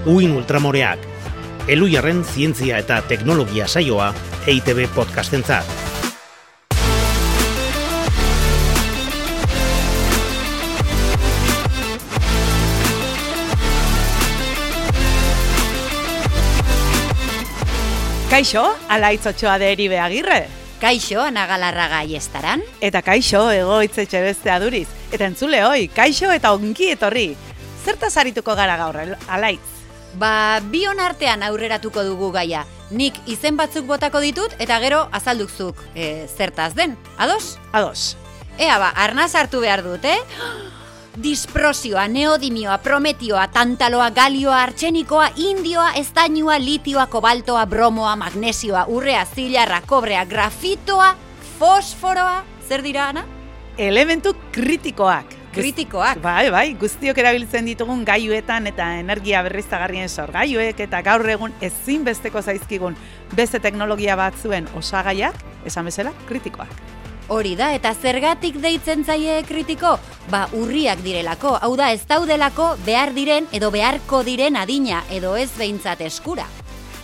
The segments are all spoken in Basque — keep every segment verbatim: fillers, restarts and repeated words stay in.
Uin Ultramoreak, Elujarren zientzia eta teknologia saioa E I Te Be podcastentzat. Kaixo, Alaitz Otxoa de Eribe Agirre. Kaixo, Ana Galarraga Aiestaran. Eta kaixo, Egoitz Etxebeste Aduriz. Eta entzule hoi, kaixo eta ongi etorri. Zertaz arituko gara gaur, Alaitz? Ba, bion artean aurreratuko dugu gaia. Nik izen batzuk botako ditut eta gero azaldukzuk e, zertaz den. Ados? Ados. Ea ba, arnaz hartu behar dut, eh? Disprosioa, neodimioa, prometioa, tantaloa, galioa, artxenikoa, indioa, estainua, litioa, kobaltoa, bromoa, magnesioa, urrea, zilarra, kobrea, grafitoa, fosforoa, zer dira, Ana? Elementu kritikoak. Kritikoak. Bai, bai, guztiok erabiltzen ditugun gailuetan eta energia berriztagarrien sorgailuek eta gaur egun ezinbesteko zaizkigun beste teknologia batzuen osagaiak, esan bezala, kritikoak. Hori da, eta zergatik deitzen zaie kritiko? Ba, urriak direlako, hau da ez daudelako behar diren edo beharko diren adina edo ez behintzat eskura.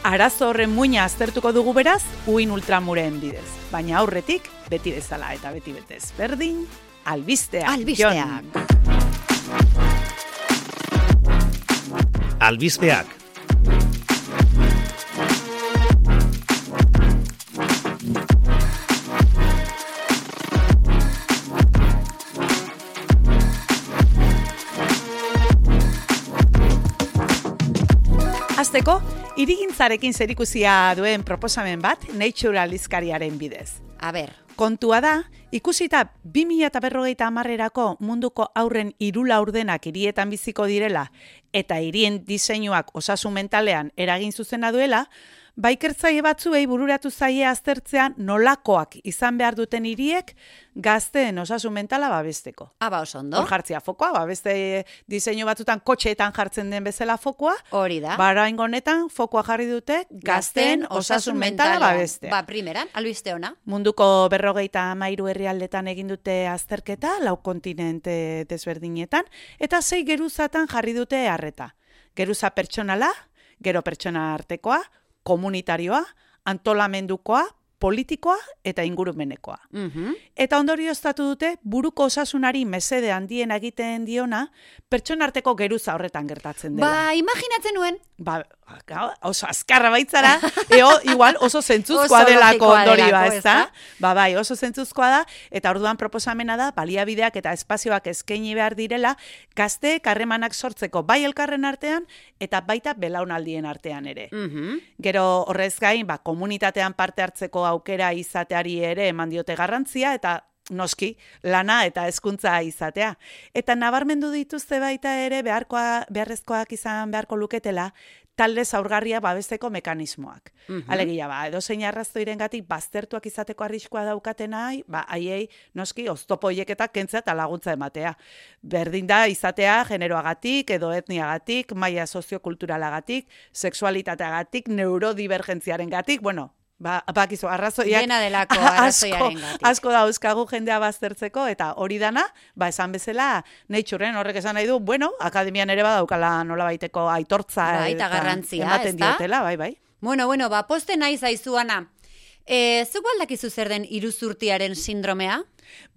Arazo horren muina aztertuko dugu beraz, Uin Ultramureen bidez. Baina aurretik, beti bezala eta beti betez berdin, albisteak. Albisteak. Albisteak. Azteko, hirigintzarekin zerikusia duen proposamen bat Nature aldizkariaren bidez. A ber. Kontua da, ikusita bi mila berrogeita hamarrerako munduko haurren hiru laurdenak hirietan biziko direla eta hirien diseinuak osasun mentalean eragin zuzena duela, baikertzaile batzuei bururatu zaie aztertzea nolakoak izan behar duten hiriek gazteen osasun mentala babesteko. Aba oso ondo. Hor jartzea fokoa, ba, beste diseinu batzutan kotxeetan jartzen den bezala fokoa. Hori da. Ba, oraingo honetan fokoa jarri dute gazteen osasun mentala babestea. Ba, primeran, albiste ona. Munduko berrogeita hamairu herrialdetan egin dute azterketa, lau kontinente desberdinetan, eta sei geruzatan jarri dute arreta. Geruza pertsonala, gero pertsona artekoa, komunitarioa, antolamendukoa, politikoa eta ingurumenekoa. Mm-hmm. Eta ondorioztatu dute buruko osasunari mesede handien egiten diona pertsona arteko geruza horretan gertatzen dela. Ba, imaginatzen nuen. Ba, oso azkarra baitzara, eo, igual oso zentzuzkoa Oso delako logikoa ondorioa, delako, ez da? ezta? Ba, bai, oso zentzuzkoa da, eta orduan proposamena da, baliabideak eta espazioak eskaini behar direla, gazteek harremanak sortzeko bai elkarren artean, eta baita belaunaldien artean ere. Mm-hmm. Gero horrez gain, ba, komunitatean parte hartzeko aukera izateari ere eman diote garrantzia, eta noski, lana eta hezkuntza izatea. Eta nabarmendu dituzte baita ere beharkoa, beharrezkoak izan beharko luketela, talde zaurgarria babesteko mekanismoak. Mm-hmm. Alegia, ba, edozein arrazoirengatik baztertuak izateko arriskua daukatenai, ba, haiei noski oztopo hileketak kentzea eta laguntza ematea. Berdin da izatea generoagatik edo etniagatik, maila soziokulturalagatik, sexualitateagatik, neurodivergentziarengatik, bueno, Ba, bakizu, arrazoiak Dena delako asko, arrazoiaren gatik. asko dauzkagu jendea baztertzeko, eta hori dana, ba, esan bezala, Naturen horrek esan nahi du, bueno, akademian ere badaukala nola baiteko aitortza Bai, eta garrantzia, ematen ezta? diotela, bai, bai. Bueno, bueno, ba, poste nahi zaizu, Ana. E, zuk baldakizu zer den iruzurtiaren sindromea?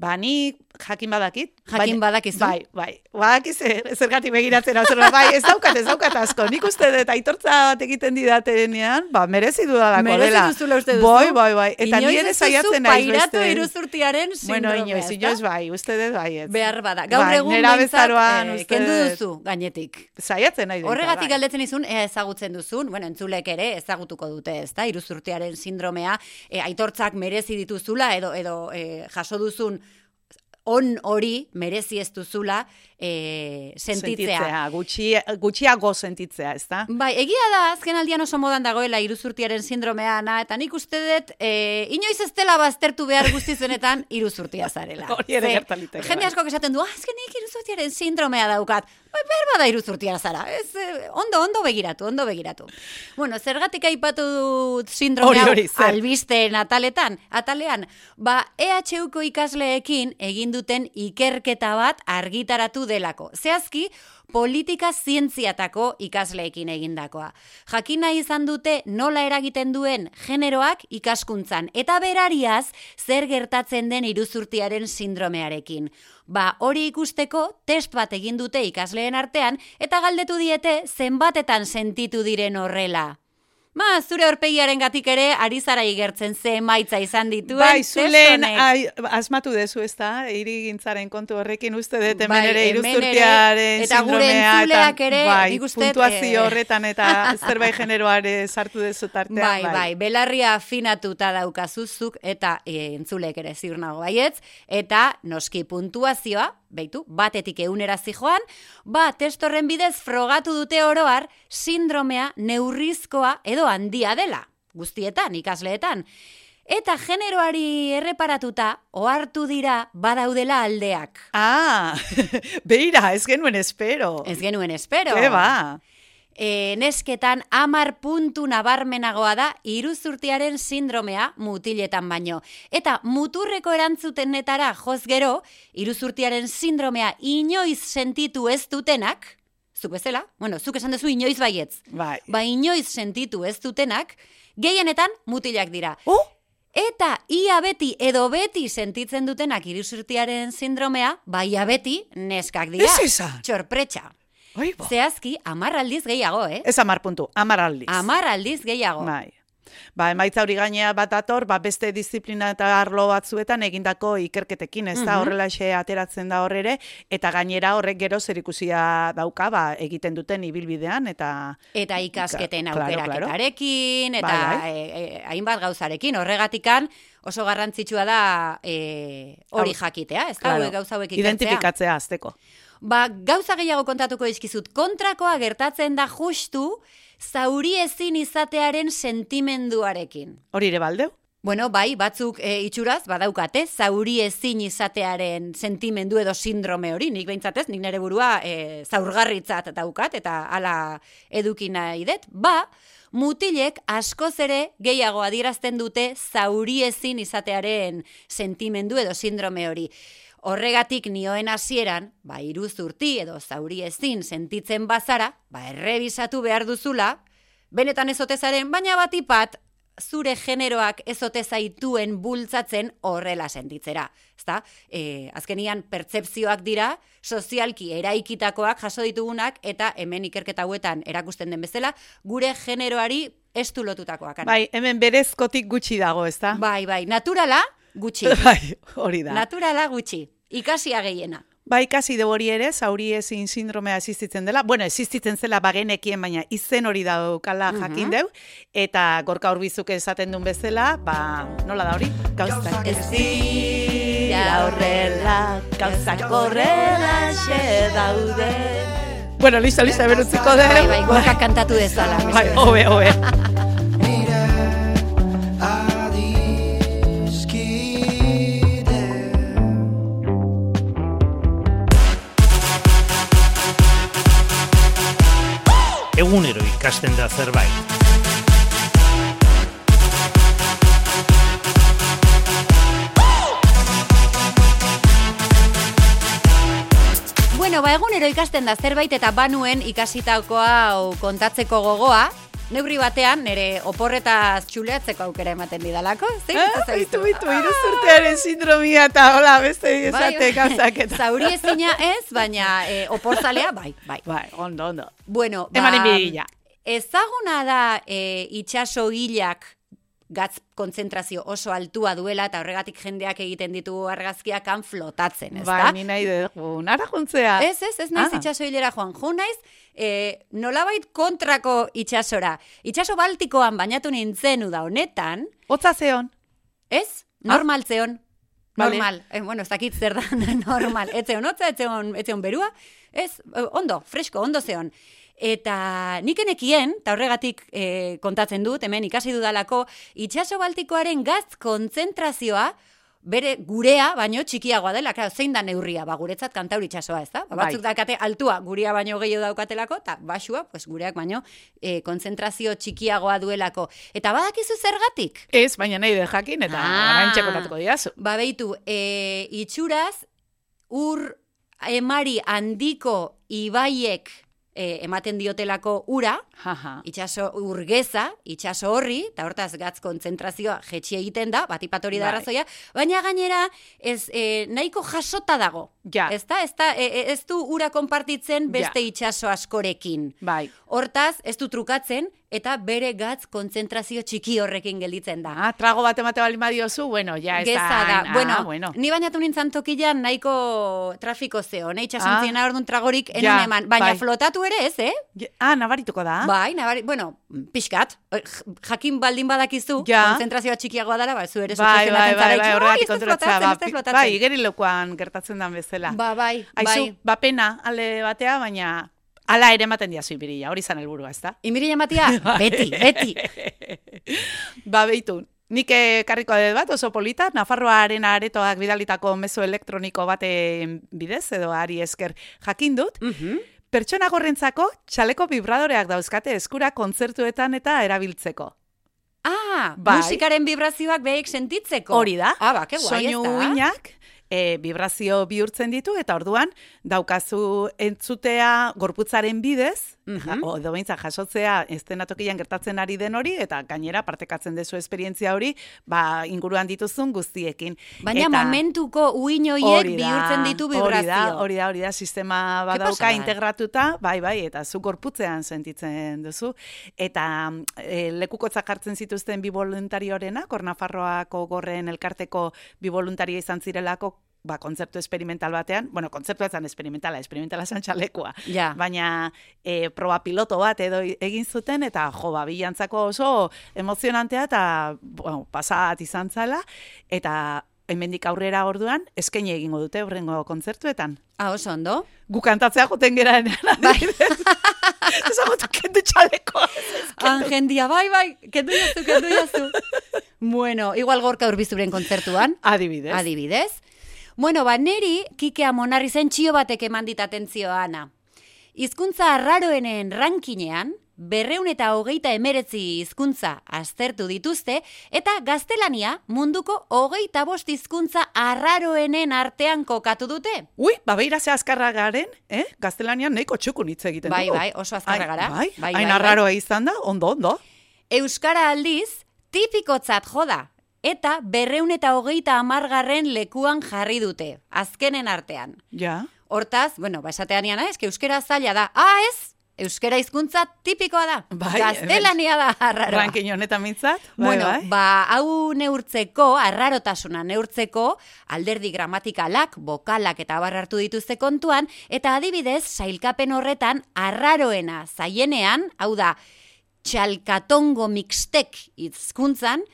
Ba, ni jakin badakit. Jakin badakizu? Bai, bai. Badakiz, zergatik begiratzen hau bai, ez daukat, ez daukat asko. Nik uste dut aitortza bat egiten didatenean, ba, merezi dudalako dela. Merezi duzula uste duzu? Bai, bai, bai. Eta inoiz ni ere ez duzu saiatzen naiz pairatu beste. iruzurtiaren sindromea, Bueno, inoiz, inoiz bai, uste dut bai. Ez. Behar bada. Gaur Bai, egun nera behintzat, bezaroan, eh, uste kendu dut. duzu, gainetik. Saiatzen nahi dut. Horregatik bai. galdetzen izun, ea ezagutzen duzun, bueno, entzulek ere ezagutuko dute, ezta? Iruzurtiaren sindromea, e, aitortzak merezi dituzula edo edo e, jaso duzun on hori merezi ez duzula e, sentitzea. Sentitzea, gutxi, gutxiago sentitzea, ez da? Bai, egia da, azken aldian oso modan dagoela iruzurtiaren sindromea, na, eta nik uste dut, e, inoiz ez dela baztertu behar guztizenetan iruzurtia zarela. Hori ere Ze, gertaliteke, Jende bai. askok esaten du, ah, azken nik iruzurtiaren sindromea daukat. Behar bada iruzurtia zara, ez, ondo, ondo begiratu, ondo begiratu. Bueno, zergatik aipatu dut sindrome hau albisteen ataletan, atalean, ba, E H Uko ikasleekin egin duten ikerketa bat argitaratu delako. Zehazki, politika zientziatako ikasleekin egindakoa. Jakina izan dute nola eragiten duen generoak ikaskuntzan, eta berariaz zer gertatzen den iruzurtiaren sindromearekin. Ba, hori ikusteko test bat egin dute ikasleen artean, eta galdetu diete zenbatetan sentitu diren horrela. Ba, zure aurpegiaren gatik ere, ari zara igertzen ze emaitza izan dituen. Bai, zulen asmatu dezu ez da, irigintzaren kontu horrekin uste dut hemen ere iruzurtiaren eta gure entzuleak ere, bai, nik uste, puntuazio horretan eta zerbait generoare sartu dezu tartean. Bai, bai, bai, belarria afinatuta daukazuzuk eta e, entzulek ere ziur nago baietz, eta noski puntuazioa, beitu, batetik eunera zijoan, ba, testorren bidez frogatu dute oroar, sindromea neurrizkoa edo handia dela, guztietan, ikasleetan. Eta generoari erreparatuta, ohartu dira badaudela aldeak. Ah, beira, ez genuen espero. Ez genuen espero. Ke ba. E, nesketan amar puntu nabarmenagoa da iruzurtiaren sindromea mutiletan baino. Eta muturreko erantzutenetara joz gero, iruzurtiaren sindromea inoiz sentitu ez dutenak, zuk bezala, bueno, zuk esan duzu inoiz baietz, bai. Ba inoiz sentitu ez dutenak, gehienetan mutilak dira. Oh? Eta ia beti edo beti sentitzen dutenak iruzurtiaren sindromea, ba ia beti neskak dira. Ez esa? Txorpretxa. Oibo. Zehazki, amar aldiz gehiago, eh? Ez amar puntu, amar aldiz. Amar aldiz gehiago. Bai. Ba, emaitza hori gainea bat ator, ba, beste disiplina eta arlo batzuetan egindako ikerketekin, ez da, mm-hmm. horrelaxe ateratzen da horrere, eta gainera horrek gero zerikusia dauka, ba, egiten duten ibilbidean, eta... Eta ikasketen claro, aukeraketarekin, claro. eta bai, bai. E, e, hainbat gauzarekin, horregatikan oso garrantzitsua da e, hori jakitea, ez da, claro. Gauza hauek ikertzea. Identifikatzea azteko. Ba, gauza gehiago kontatuko izkizut, kontrakoa gertatzen da justu zauri ezin izatearen sentimenduarekin. Hori ere baldeu? Bueno, bai, batzuk e, itxuraz, badaukate, zauri ezin izatearen sentimendu edo sindrome hori, nik behintzatez, nik nire burua e, zaurgarritzat daukat, eta hala edukina idet, ba, mutilek askoz ere gehiago adierazten dute zauri ezin izatearen sentimendu edo sindrome hori. Horregatik nioen hasieran, ba, iruzurti edo zauri ezin sentitzen bazara, ba, errebisatu behar duzula, benetan ezotezaren, baina batipat, zure generoak ezote zaituen bultzatzen horrela sentitzera. Ezta? E, azkenian pertzepzioak dira, sozialki eraikitakoak jaso ditugunak, eta hemen ikerketa hauetan erakusten den bezala, gure generoari estu lotutakoak. Bai, hemen berezkotik gutxi dago, ezta? Bai, bai, naturala gutxi. Bai, hori da. Naturala gutxi, ikasia gehiena. Ba, ikasi de hori ere, zauri ezin sindromea existitzen dela. Bueno, existitzen zela bagenekien, baina izen hori daukala jakin uh-huh. deu. Eta Gorka Urbizuk esaten duen bezala, ba, nola da hori? Gauzak ez dira horrela, gauzak horrela xe daude. Bueno, listo, listo, berutziko deu. Bai, bai, Gorka kantatu dezala. Bai, hobe, hobe. Egunero ikasten da zerbait. Bueno, ba, egunero ikasten da zerbait eta banuen ikasitakoa kontatzeko gogoa, neurri batean nire oporretaz txuleatzeko aukera ematen didalako. Ah, bitu, bitu, iruzurtearen sindromia eta hola, beste esate gauzak eta. Zauri ezina ez, baina e, oporzalea, bai, bai. Bai, ondo, ondo. Bueno, ba, emanen bidila. Ezaguna da e, itxaso hilak gatz kontzentrazio oso altua duela eta horregatik jendeak egiten ditu argazkiak han flotatzen, ez da? Bai, ni nahi dugu, nara juntzea. Ez, ez, ez naiz ah. itxaso hilera joan. Jo naiz, e, nolabait kontrako itxasora. Itxaso Baltikoan bainatu nintzen uda honetan. Hotza zeon. Ez, normal zeon. Normal. Vale. Eh, bueno, ez dakit zer da normal. Ez zeon hotza, ez zeon, ez zeon berua. Ez, ondo, fresko, ondo zeon. Eta nik enekien, eta horregatik e, kontatzen dut, hemen ikasi dudalako, itxaso Baltikoaren gaz kontzentrazioa bere gurea baino txikiagoa dela, claro, zein da neurria, ba, guretzat kantauri itsasoa, ez da? Ba, batzuk bai. Dakate altua, gurea baino gehiago daukatelako, eta basua, pues, gureak baino e, konzentrazio txikiagoa duelako. Eta badakizu zergatik? Ez, baina nahi de jakin, eta oraintxe kontatuko diazu. Ba, beitu, e, itxuraz, ur emari handiko ibaiek E, ematen diotelako ura, Jaja. itxaso urgeza, itxaso horri, eta hortaz gatz kontzentrazioa jetxi egiten da, batipatori da arrazoia, baina gainera ez e, nahiko jasota dago. Ja. Ez da, ez, da, e, ez du ura konpartitzen beste ja. itxaso askorekin. Bai. Hortaz, ez du trukatzen, eta bere gatz kontzentrazio txiki horrekin gelditzen da. Ah, trago bat emate bali madiozu, bueno, ja ez Geza da. da. Ah, bueno, bueno, ni bainatu nintzen tokilan nahiko trafiko zeo, ne? Itxasuntzien ah. orduan tragorik enun ja, eman, baina bai. flotatu ere ez, eh? Ah, nabarituko da. Bai, nabari, bueno, pixkat, jakin baldin badakizu, ja. konzentrazioa txikiagoa dala, ba, zu ere bai, bai, bai, bai, horregatik kontratzea, bai, bai, igerilokoan gertatzen dan bezala. Ba, bai, Aizu, bai. ba pena alde batea, baina ala ere ematen diazu imirila, hori zan helburua, ez da? Imirila ematia? Beti, beti. Ba, beitu, nik karriko adet bat, oso polita, Nafarroaren aretoak bidalitako mezu elektroniko baten bidez, edo ari esker jakin dut, Mhm. pertsona gorrentzako txaleko vibradoreak dauzkate eskura kontzertuetan eta erabiltzeko. Ah, Bai. musikaren vibrazioak behik sentitzeko. Hori da. Ah, ba, ke guai ez Soinu da. uinak e, vibrazio bihurtzen ditu, eta orduan daukazu entzutea gorputzaren bidez, Mhm. o edo behintzat jasotzea estenatokian gertatzen ari den hori, eta gainera partekatzen dezu esperientzia hori, ba, inguruan dituzun guztiekin. Baina eta, momentuko uin hori horiek da, bihurtzen ditu Hori da, vibrazio. hori da, hori da, sistema badauka pasada? integratuta, bai, bai, eta zu gorputzean sentitzen duzu. Eta e, lekukotzak hartzen zituzten bi voluntariorenak, hor Nafarroako gorren elkarteko bi voluntario izan zirelako, ba, kontzertu experimental batean, bueno, kontzertu etzan experimentala, experimentala zan txalekoa, Ja. baina e, proba piloto bat edo egin zuten, eta jo, ba, bilantzako oso emozionantea, eta bueno, pasat izan zala, eta hemendik aurrera orduan, eskaini egingo dute horrengo kontzertuetan. Ah, oso ondo. Gu kantatzea joten gera Bai. Ezagutu kendu txaleko. Angendia, bai, bai, kendu jazu, kendu jazu. Bueno, igual gorka urbizuren kontzertuan. Adibidez. Adibidez. Bueno, ba, neri Kikea Monarri zen txio batek eman dit atentzioa, Ana. Hizkuntza arraroenen rankinean, berreun eta hogeita emeretzi hizkuntza aztertu dituzte, eta gaztelania munduko hogeita bost hizkuntza arraroenen artean kokatu dute. Ui, ba, beira ze azkarra garen, eh? Gaztelanian nahiko txukun hitz egiten Bai, dugu. bai, oso azkarra gara. Bai, Bai, hain bai, arraroa izan da, ondo, ondo. Euskara aldiz, tipikotzat joda, eta berreun eta hogeita amargarren lekuan jarri dute, azkenen artean. Ja. Hortaz, bueno, ba, esatean iana, eske euskera zaila da. Ah, ez! Euskera hizkuntza tipikoa da. Bai, Gaztelania da arraroa. Rankin honetan mintzat. Bai, Bueno, bai. ba, hau neurtzeko, arrarotasuna neurtzeko, alderdi gramatikalak, bokalak eta abar hartu dituzte kontuan, eta adibidez, sailkapen horretan, arraroena zaienean, hau da, txalkatongo mixtek hizkuntzan,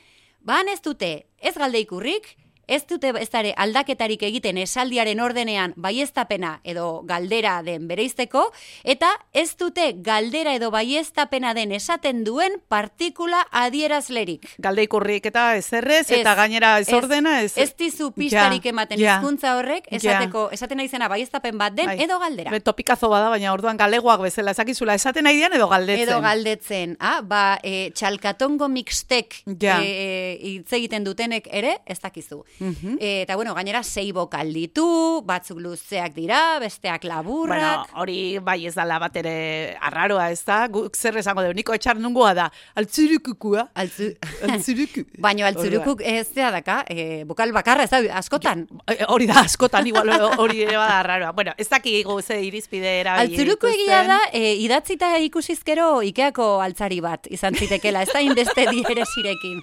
ban ez dute, ez galde ikurrik, ez dute ez dare aldaketarik egiten esaldiaren ordenean baieztapena edo galdera den bereizteko, eta ez dute galdera edo baieztapena den esaten duen partikula adierazlerik. Galde ikurrik eta ezerrez, eta Ez, gainera ez ordena, ez... Ez dizu pistarik Ja, ematen ja. hizkuntza horrek, Ja. esateko, esaten nahi zena baieztapen bat den Bai. edo galdera. Be, topikazo bada, baina orduan galegoak bezala ezakizula esaten nahi dian edo galdetzen. Edo galdetzen, ah, ba, e, txalkatongo mixtek Ja. e, hitz egiten dutenek ere, ez dakizu. Mhm. E, eta bueno, gainera sei bokal ditu, batzuk luzeak dira, besteak laburrak. Bueno, hori bai ez dala bat ere arraroa, ez da? Guk zer esango dugu, niko etxar nungoa da, altzurukukua. Altzu... Altzuruku. Baino altzurukuk ez da daka, e, bokal bakarra ez da, askotan. Eh, Hori da, askotan, igual hori ere bada arraroa. Bueno, ez dakigu ze irizpide erabili Altzuruko dituzten. egia da, e, idatzita ikusizkero Ikeako altzari bat izan zitekela, ez da inbeste dierezirekin.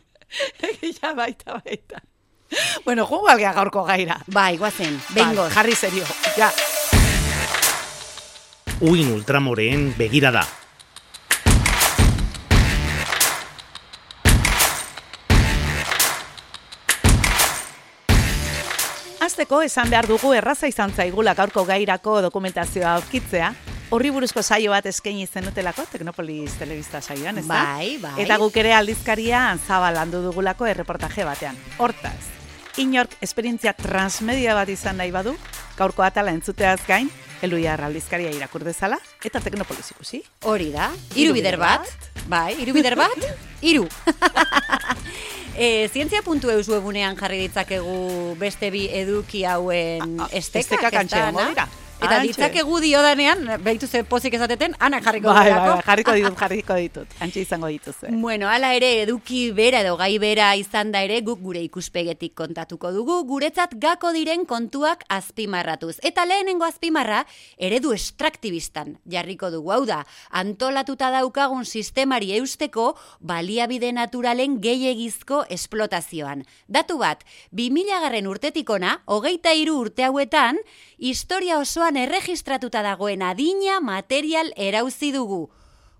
Ja, baita, baita. Bueno, jugu algea gaurko gaira. Bai, guazen, bengoz. Ba, jarri serio, ja. Uin ultramoreen begirada. Hasteko esan behar dugu erraza izan zaigula gaurko gairako dokumentazioa aurkitzea. Horri buruzko saio bat eskaini zenutelako, Teknopolis telebista saioan, ez da? Bai, bai. Eta guk ere aldizkaria zabal landu dugulako erreportaje batean. Hortaz, Inork esperientzia transmedia bat izan nahi badu, gaurko atala entzuteaz gain, Eluiar aldizkaria irakur dezala, eta Teknopolis ikusi. Hori da, hiru bider bat, bai, hiru bider bat, hiru. E, zientzia puntu eus webunean jarri ditzakegu beste bi eduki hauen estekak. Estekak antxean, dira. Eta ditzakegu diodanean, behitu ze pozik ezateten, anak jarriko bai, dirako. Bai, bai, jarriko ditut, jarriko ditut. Antxe izango dituzue. Bueno, hala ere, eduki bera edo gai bera izan da ere, guk gure ikuspegetik kontatuko dugu, guretzat gako diren kontuak azpimarratuz. Eta lehenengo azpimarra, eredu estraktibistan jarriko dugu. Hau da, antolatuta daukagun sistemari eusteko baliabide naturalen gehiegizko esplotazioan. Datu bat, bi mila garren urtetik ona, hogeita hiru urte hauetan, historia osoan erregistratuta dagoen adina material erauzi dugu.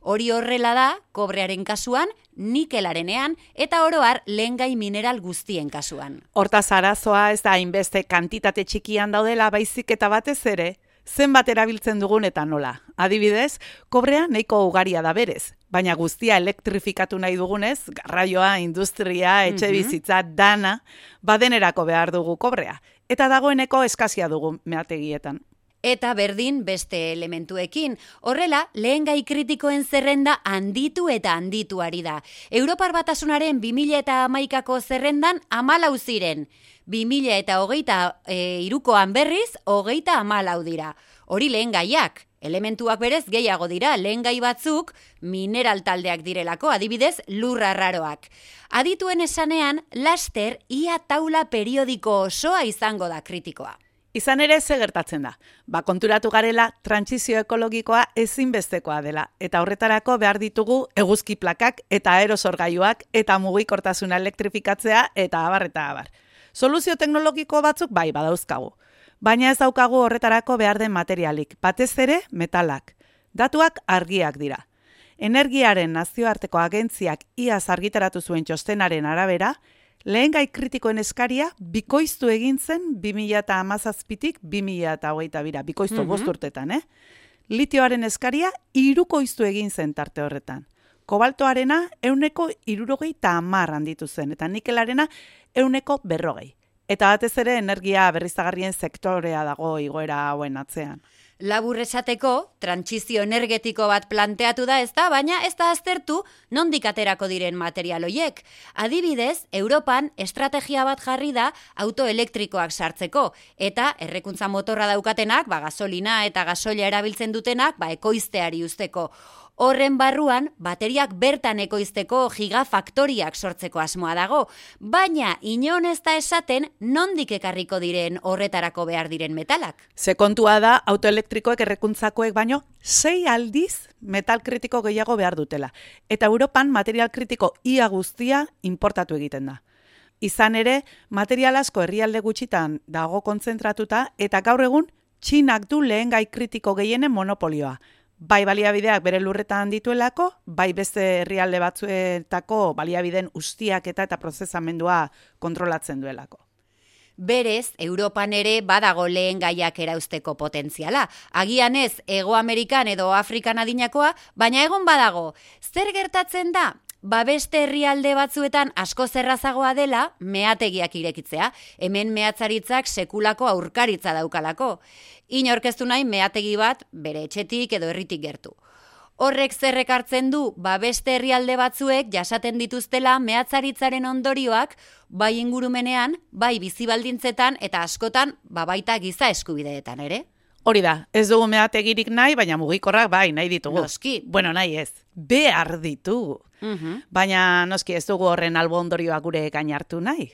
Hori horrela da, kobrearen kasuan, nikelarenean, eta oroar lehengai mineral guztien kasuan. Hortaz arazoa ez da hainbeste kantitate txikian daudela baizik eta batez ere, zenbat erabiltzen dugun eta nola. Adibidez, kobrea nahiko ugaria da berez, baina guztia elektrifikatu nahi dugunez, garraioa, industria, etxe bizitza, dana, badenerako behar dugu kobrea. Eta dagoeneko eskazia dugu meategietan. Eta berdin beste elementuekin. Horrela, lehen gai kritikoen zerrenda handitu eta handitu ari da. Europar Batasunaren bi mila hamaikako zerrendan hamalau ziren. bi mila hogeita hirukoan berriz, hogeita hamalau dira. Hori lehen gaiak. Elementuak berez gehiago dira, lehen gai batzuk mineral taldeak direlako, adibidez lurra arraroak. Adituen esanean, laster ia taula periodiko osoa izango da kritikoa. Izan ere ze gertatzen da. Ba, konturatu garela, trantsizio ekologikoa ezinbestekoa dela. Eta horretarako behar ditugu eguzki plakak eta aerosorgailuak eta mugikortasuna elektrifikatzea eta abar eta abar. Soluzio teknologiko batzuk bai badauzkagu. Baina ez daukagu horretarako behar den materialik, batez ere metalak. Datuak argiak dira. Energiaren nazioarteko agentziak iaz argitaratu zuen txostenaren arabera, lehen gai kritikoen eskaria bikoiztu egin zen bi mila hamazazpitik bi mila hogeita bira, bikoiztu mm-hmm. bost urtetan, eh? Litioaren eskaria hirukoiztu egin zen tarte horretan. Kobaltoarena euneko hirurogeita hamar handitu zen, eta nikelarena euneko berrogei. Eta batez ere energia berriztagarrien sektorea dago igoera hauen atzean. Labur esateko, trantsizio energetiko bat planteatu da ez da, baina ez da aztertu nondik aterako diren material hoiek. Adibidez, Europan estrategia bat jarri da autoelektrikoak sartzeko, eta errekuntza motorra daukatenak, ba, gasolina eta gasoila erabiltzen dutenak, ba, ekoizteari usteko. Horren barruan, bateriak bertan ekoizteko gigafaktoriak sortzeko asmoa dago, baina inon ez da esaten nondik ekarriko diren horretarako behar diren metalak. Ze kontua da, autoelektrikoek errekuntzakoek baino, sei aldiz metal kritiko gehiago behar dutela. Eta Europan material kritiko ia guztia importatu egiten da. Izan ere, material asko herrialde gutxitan dago kontzentratuta, eta gaur egun, Txinak du lehen gai kritiko gehienen monopolioa. Bai baliabideak bere lurretan dituelako, bai beste herrialde batzuetako baliabideen ustiaketa eta prozesamendua kontrolatzen duelako. Berez, Europan ere badago lehen gaiak erauzteko potentziala. Agian ez, Hego Amerikan edo Afrikan adinakoa, baina egon badago. Zer gertatzen da? Ba beste herrialde batzuetan asko zerrazagoa dela meategiak irekitzea. Hemen mehatzaritzak sekulako aurkaritza daukalako. Inorkeztu nahi meategi bat bere etxetik edo herritik gertu. Horrek zerrek hartzen du, ba beste herrialde batzuek jasaten dituztela mehatzaritzaren ondorioak bai ingurumenean, bai bizibaldintzetan eta askotan ba baita giza eskubideetan ere. Hori da, ez dugu meategirik nahi, baina mugikorrak bai nahi ditugu. Noski. Bueno, nahi ez, behar ditugu. Uh-huh. Baina noski ez dugu horren albo ondorioak gure gain hartu nahi.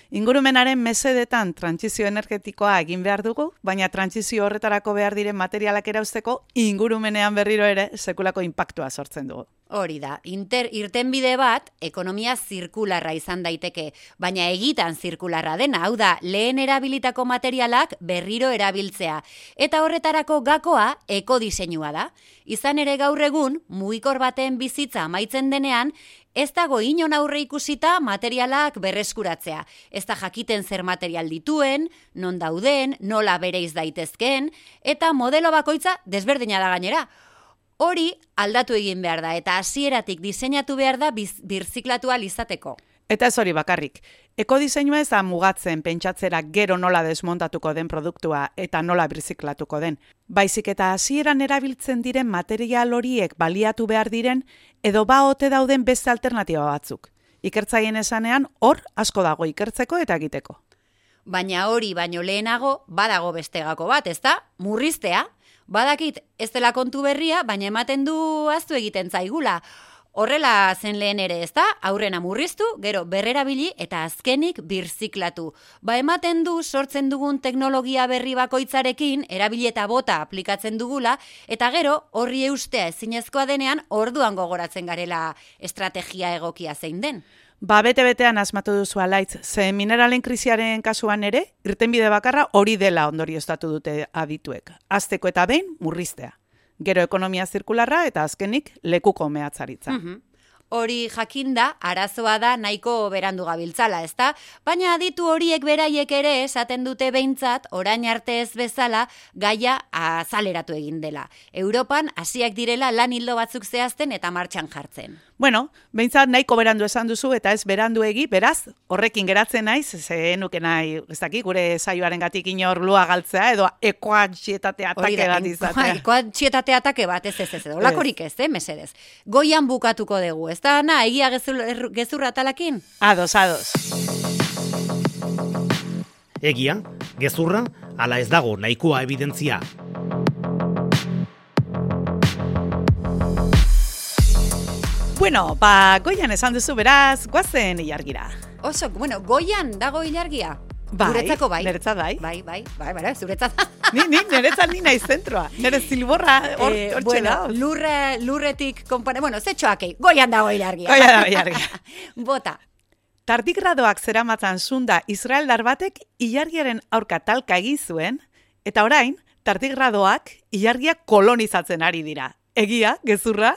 Ingurumenaren mesedetan trantsizio energetikoa egin behar dugu, baina trantsizio horretarako behar diren materialak erauzteko ingurumenean berriro ere sekulako inpaktua sortzen dugu. Hori da, inter, irtenbide bat ekonomia zirkularra izan daiteke, baina egitan zirkularra dena, hau da, lehen erabilitako materialak berriro erabiltzea. Eta horretarako gakoa ekodiseinua da. Izan ere gaur egun, mugikor baten bizitza amaitzen denean, ez dago inon aurre ikusita materialak berreskuratzea. Ez da jakiten zer material dituen, non dauden, nola bereiz daitezkeen, eta modelo bakoitza desberdina da gainera. Hori aldatu egin behar da, eta hasieratik diseinatu behar da birziklatu ahal izateko. Eta ez hori bakarrik. Ekodiseinua ez da mugatzen pentsatzera gero nola desmontatuko den produktua eta nola birziklatuko den. Baizik eta hasieran erabiltzen diren material horiek baliatu behar diren edo ba ote dauden beste alternatiba batzuk. Ikertzaileen esanean hor asko dago ikertzeko eta egiteko. Baina hori baino lehenago badago beste gako bat, ezta? Murriztea. Badakit ez dela kontu berria, baina ematen du ahaztu egiten zaigula. Horrela zen lehen ere, ezta? Aurrena murriztu, gero berrerabili eta azkenik birziklatu. Ba ematen du sortzen dugun teknologia berri bakoitzarekin erabili eta bota aplikatzen dugula eta gero horri eustea ezinezkoa denean orduan gogoratzen garela estrategia egokia zein den. Ba, bete-betean asmatu duzu alaitz, ze mineralen krisiaren kasuan ere, irtenbide bakarra hori dela ondorioztatu dute adituek. Azteko eta behin murriztea. Gero ekonomia zirkularra eta azkenik lekuko mehatzaritza. Mm-hmm. Hori jakinda, arazoa da nahiko berandu gabiltzala, ezta? Baina aditu horiek beraiek ere esaten dute behintzat, orain arte ez bezala, gaia azaleratu egin dela. Europan hasiak direla lan hildo batzuk zehazten eta martxan jartzen. Bueno, behintzat nahiko berandu esan duzu eta ez beranduegi, beraz, horrekin geratzen naiz, ze nuke nahi, ez dakik, gure saioaren gatik inor lua galtzea, edo ekoantxietate atake bat izatea. Ekoantxietate atake bat, ez ez ez, edo lakorik ez, eh, mesedez. Goian bukatuko dugu, ez da, na, egia gezur, gezurra talakin? Ados, ados. Egia, gezurra, ala ez dago nahikoa evidentzia. Bueno, ba, goian esan duzu beraz, guazen ilargira. Oso, bueno, goian dago ilargia? Bai, guretzako bai. Neretzat bai. Bai, bai, bai, bai, zuretzat. Ni, ni, neretzat ni naiz zentroa. Nere zilborra hor eh, txela. Bueno, lurre, lurretik konpone, bueno, zetxoakei, goian dago ilargia. Goian dago ilargia. Bota. Tardigradoak zeramatzan zunda israeldar batek ilargiaren aurka talka egin zuen, eta orain, tardigradoak ilargia kolonizatzen ari dira. Egia, gezurra?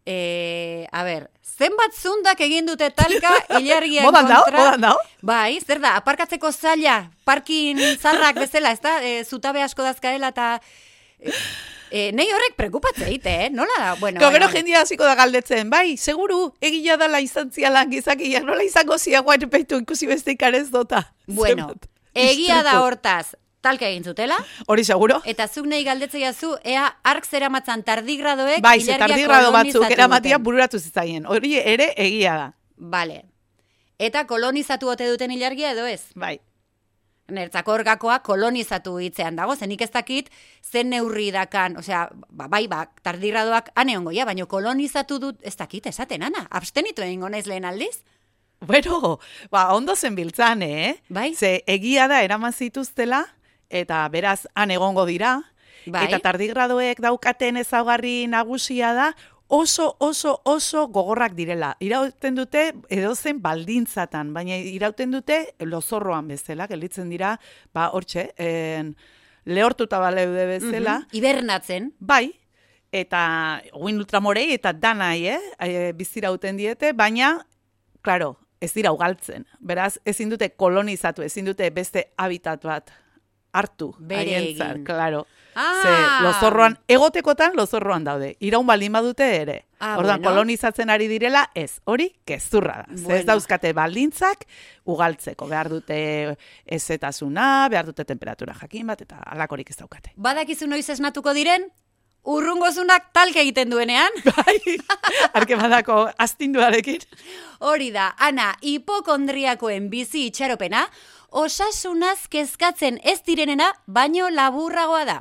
E, a ber, zenbat zundak egin dute talka ilargian modan kontra? Dao, modan dao? Bai, zer da, aparkatzeko zaila, parkin zarrak bezala, ez da, e, zutabe asko dazkaela eta... E, e, nei horrek prekupatzea ite, eh? Nola da? Bueno, Gero bueno. jendia hasiko da galdetzen, bai, seguru, egila dala izan zialan gizakia, nola izango zia guain peitu ikusi beste ikarez dota. Bueno, Zenbat, egia da istripu. hortaz, talka egin zutela, Hori seguro? eta zuk nahi galdetzea zu, ea ark zeramatzan tardigradoek Bai, ze ilargia tardigrado batzuk kolonizatu eramatia duten. bururatu zitzaien. Hori ere egia da. Vale. Eta kolonizatu ote duten ilargia edo ez? Bai. Nertzako orgakoa kolonizatu hitzean dago, zenik ez dakit zen neurri dakan, osea, ba, bai, ba, tardigradoak ane ongoia, baina kolonizatu dut, ez dakit, esaten, ana, abstenitu egingo naiz lehen aldiz? Bueno, ba, ondo zen biltzan, eh? Bai. Ze egia da eraman zituztela, eta beraz han egongo dira, Bai. eta tardigradoek daukaten ezaugarri nagusia da, oso, oso, oso gogorrak direla. Irauten dute edozen baldintzatan, baina irauten dute lozorroan bezala, gelditzen dira, ba, hortxe, en, lehortuta baleude bezala. Mhm. Hibernatzen. Bai, eta guin ultramorei eta danai, eh? E, bizirauten diete, baina, klaro, ez dira ugaltzen. Beraz, ezin dute kolonizatu, ezin dute beste habitat bat hartu. Bere haientzat, egin. Claro. Ah! Ze lozorroan, egotekotan lozorroan daude. Iraun baldin badute ere. Ah, Orduan, bueno. kolonizatzen ari direla, ez, hori gezurra da. Ze ez Bueno. dauzkate baldintzak ugaltzeko. Behar dute ezetasuna, behar dute temperatura jakin bat, eta alakorik ez daukate. Badakizu noiz esnatuko diren? Urrungozunak talka egiten duenean? Bai, arke badako astinduarekin. Hori da, ana, hipokondriakoen bizi itxaropena, osasunaz kezkatzen ez direnena, baino laburragoa da.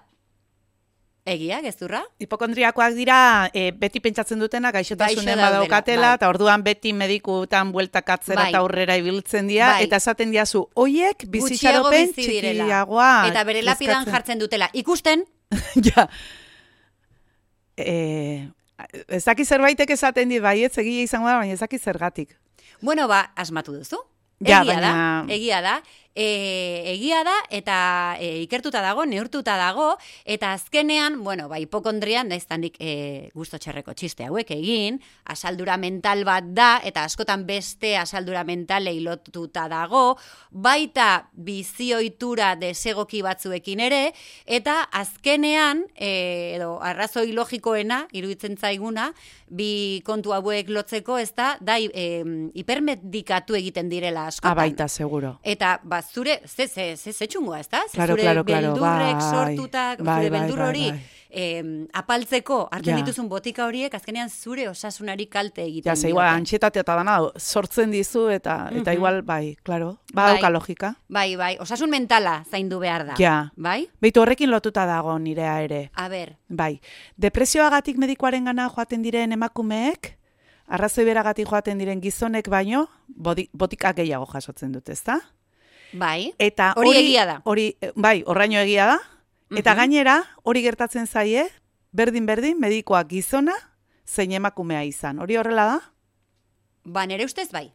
Egia, gezurra? Hipokondriakoak dira, e, beti pentsatzen dutena gaixotasunen Gaixo daudela, badaukatela, bai. eta orduan beti medikutan bueltakatzera Bai. eta aurrera ibiltzen dira, Bai. eta esaten diazu, hoiek Gutxiago bizitxaropen bizi direla. txikiagoa. Eta bere lapidan kezkatzen. jartzen dutela. Ikusten, Ja. E, ezaki zerbaitek esaten dit, baietz egia izango da, baina ezaki zergatik. bueno, ba, asmatu duzu. Ja, Egia baina- da, egia da. E, egia da, eta e, ikertuta dago, neurtuta dago, eta azkenean, bueno, ba, hipokondrian, da iztanik e, gusto txerreko txiste hauek egin, asaldura mental bat da, eta askotan beste asaldura mentalei lotuta dago, baita bizioitura desegoki batzuekin ere, eta azkenean, e, edo arrazoi logikoena, iruditzen zaiguna, bi kontu hauek lotzeko, ez da, da e, hipermedikatu egiten direla askotan. Abaita, seguro. Eta, ba, zure, ze, ze, ze, ze txungoa, ez da? Claro, zure claro, claro, beldurrek bai, sortuta, bai, zure bai, beldur bai, hori, bai. Eh, apaltzeko, hartzen Ja. dituzun botika horiek, azkenean zure osasunari kalte egiten Ja, ze igual, antxietate eta dana sortzen dizu, eta, eta Mhm. igual, bai, claro, ba, Bai. dauka logika. Bai, bai, osasun mentala zaindu behar da. Ja. Bai? Beitu horrekin lotuta dago nirea ere. A ber, Bai, depresioagatik medikoaren gana joaten diren emakumeek, arrazoi beragatik joaten diren gizonek baino, bodi, botika gehiago jasotzen dute, ezta? bai, Eta Hori egia da. Hori, bai, horraino egia da. Eta Mhm. gainera, hori gertatzen zaie, berdin-berdin, medikoak gizona, zein emakumea izan. Hori horrela da? ba, nere ustez bai.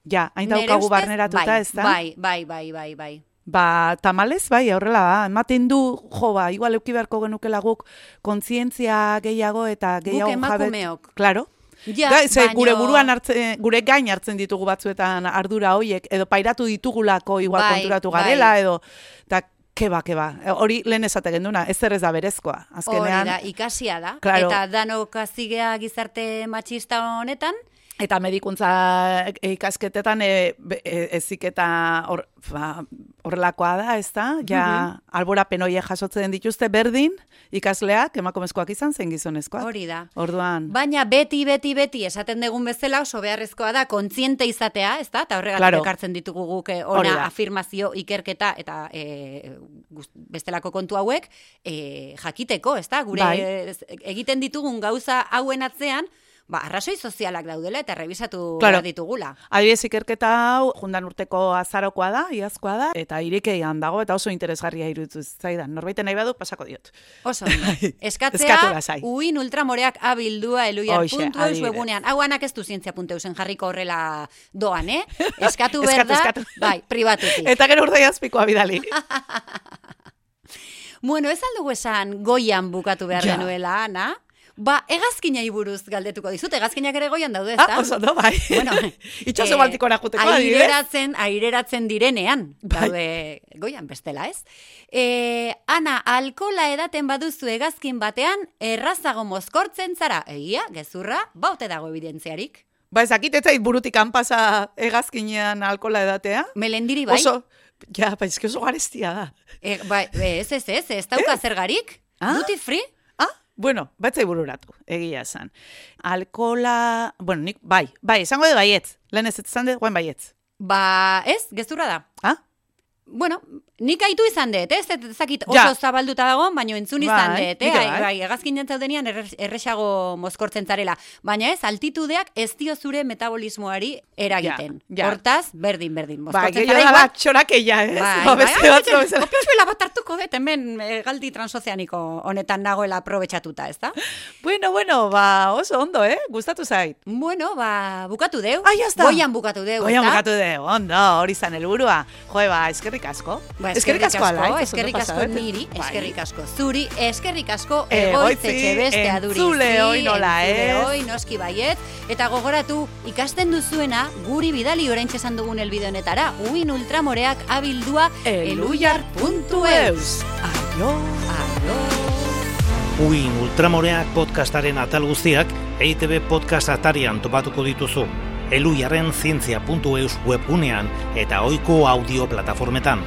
Ja, hain Nere daukagu ustez, barneratuta, bai, ez da? Bai, bai, bai, bai, bai. Ba, tamalez, bai, horrela da. Ematen du, jo, ba, igual euki beharko genukela guk kontzientzia gehiago eta gehiago Guk emakumeok. Claro. Ja, Da, ze, baino- gure buruan hartzen, gure gain hartzen ditugu batzuetan ardura hoiek, edo pairatu ditugulako igual Bai, konturatu bai. garela, edo, eta keba, keba. Hori lehen esate genduna, ez ez da berezkoa. Hori Azkenean, da, ikasia da. Claro. Eta danok azigea gizarte matxista honetan, eta medikuntza ikasketetan e, be- e, eziketa hor, ba, horrelakoa da, ez da? Ja, alborapen horiek jasotzen dituzte berdin, ikasleak, emakumezkoak izan, zen gizonezkoak. hori da. Orduan, Baina beti, beti, beti esaten dugun bezala oso beharrezkoa da kontziente izatea, ez da? Eta horregatik Claro. ekartzen ditugu guk eh, Hori ona da. afirmazio, ikerketa eta e, bestelako kontu hauek e, jakiteko, ez da? Gure Bai. eh, egiten ditugun gauza hauen atzean, ba, arrazoi sozialak daudela eta revisatu Claro. behar ditugula. adibidez ikerketa hau, jundan urteko azarokoa da, iazkoa da, eta irikeian dago, eta oso interesgarria iruditu zaidan. Norbaiten nahi badu, pasako diot. Oso, ondo. Eskatu Eskatzea, lasai. uin ultramoreak abildua eluiar Hoxe, puntu eus adibidez. webunean. Hau anak ez du zientzia puntu eusen jarriko horrela doan, eh? Eskatu behar Eskatu, da, eskatu. bai, pribatutik. Eta gero urdai azpikoa bidali. Bueno, ez aldugu esan goian bukatu behar Ja. genuela, Ana? Ba, hegazkinai buruz galdetuko dizut, hegazkinak ere goian daude, ezta? Ah, oso, no, bai. Bueno, Itxaso eh, baltikora juteko, adibidez. aireratzen, aireratzen direnean, Bai. daude goian bestela, ez? E, Ana, alkola edaten baduzu hegazkin batean, errazago mozkortzen zara, egia, gezurra, baute dago evidentziarik. Ba, ezakit ez zait burutik hanpasa hegazkinean alkola edatea. Melendiri bai, Oso, ja, ba, eski oso garestia da. e, bai ez, ez, ez, ez dauka zergarik, Ah? duty free, Ah, bueno, batzai bururatu, egia esan. Alkola, bueno, nik, bai, bai, esango de baietz. Lehen ez esan de, guen baietz. ba, ez, gezurra da. Ah? Bueno, nik aitu izan dut, ez? Ez zakit oso Ja. zabalduta dago, baina entzun izan Bai, dut, eh? nik ere Ai, bai. bai, hegazkin jantzaudenean erre- erresago mozkortzen zarela. Baina ez, altitudeak ez dio zure metabolismoari eragiten. Ja, ja. Hortaz, berdin, berdin. Bai, Mozkortzen gehiago zara da igual. txorakeia, ez? Bai, Ba, bai, beste bai, batzu bai, bezala. opiozuela bat hartuko dut, hemen eh, galdi transozeaniko honetan nagoela aprobetxatuta, ez da? Bueno, bueno, ba, oso ondo, eh? Gustatu zait. Bueno, ba, bukatu deu. Ah, ya está. Goian bukatu deu, Goian ezta? bukatu de, ondo, hori zan helburua. Jo, ba, eskerrik asko. Ba, eskerrik asko, alaitz, oso eskerrik ondo asko pasabete. niri, Bai. eskerrik asko zuri, eskerrik asko Egoitzi, egoitzetxe beste adurizi, entzule hoi nola, entzule ez? hoi, noski baiet, eta gogoratu, ikasten duzuena, guri bidali oraintxe esan dugun elbide honetara, uin ultramoreak abildua eluiar puntu eus. Aio. Aio. Uin Ultramoreak podcastaren atal guztiak E I Te Be podcast atarian topatuko dituzu. Eluiarren zientzia puntu eus webgunean eta ohiko audio plataformetan.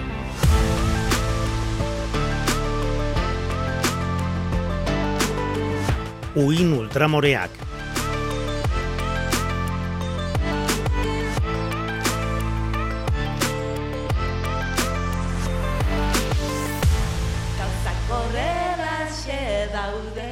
Uin Ultramoreak. Gauzak horrelaxe daude.